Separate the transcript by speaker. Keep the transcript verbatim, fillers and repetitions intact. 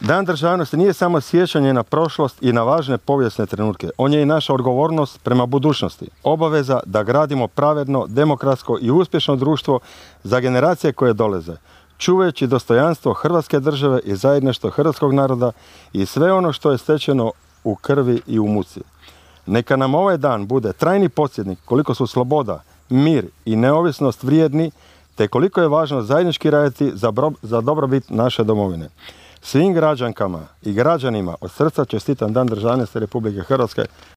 Speaker 1: Dan državnosti nije samo sjećanje na prošlost i na važne povijesne trenutke. On je i naša odgovornost prema budućnosti. Obaveza da gradimo pravedno, demokratsko i uspješno društvo za generacije koje dolaze, čuvajući dostojanstvo Hrvatske države i zajedništvo hrvatskog naroda i sve ono što je stečeno u krvi i u muci. Neka nam ovaj dan bude trajni podsjetnik koliko su sloboda, mir i neovisnost vrijedni, te koliko je važno zajednički raditi za, bro, za dobrobit naše domovine. Svim građankama i građanima od srca čestitam Dan državnosti Republike Hrvatske.